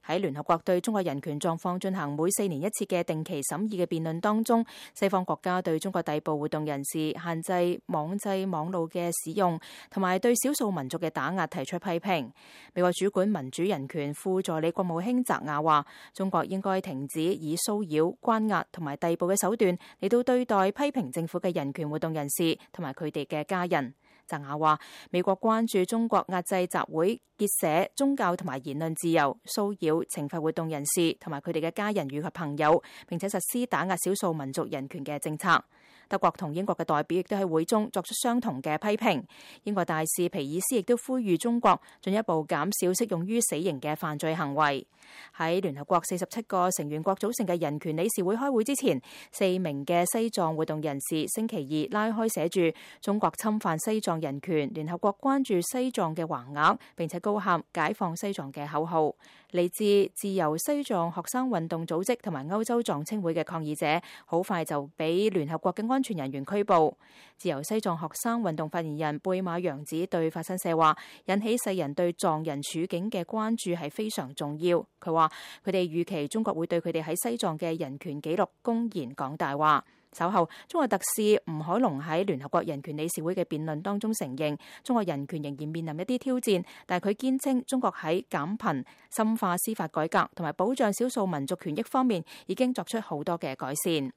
喺聯合國對中國人權狀況進行每4年一次嘅定期審議嘅辯論當中，西方國家對中國逮捕活動人士、限制網際網路嘅使用，同埋對少數民族嘅打壓提出批評。美國主管民主人權副助理國務卿澤雅話，中國應該停止以騷擾、關押同埋逮捕嘅手段嚟到對待批評政府嘅人權活動人士同埋佢哋嘅家人。澤雅話，美國關注中國壓制集會、結社、宗教同埋言論自由，騷擾、懲罰活動人士同埋佢哋嘅家人與及朋友，並且實施打壓少數民族人權嘅政策。德國同英國嘅代表亦都喺會中作出相同嘅批評。英國大使皮爾斯亦都呼籲中國進一步減少適用於死刑嘅犯罪行為。喺聯合國47個成員國組成嘅人權理事會開會之前，4名嘅西藏活動人士星期二拉開寫住中國侵犯西藏人權、聯合國關注西藏嘅橫額，並且高喊解放西藏嘅口號。嚟自自由西藏學生運動組織同埋歐洲藏青會嘅抗議者，好快就俾聯合國嘅安全人員拘捕。自由西藏學生運動發言人貝馬洋子對法新社話，引起世人對藏人處境嘅關注係非常重要。佢話佢哋預期中國會對佢哋喺西藏嘅人權紀錄公然講大話。稍後，中國特使吳海龍喺聯合國人權理事會嘅辯論當中承認，中國人權仍然面臨一啲挑戰，但係佢堅稱中國喺減貧、深化司法改革同埋保障少數民族權益方面已經作出好多嘅改善。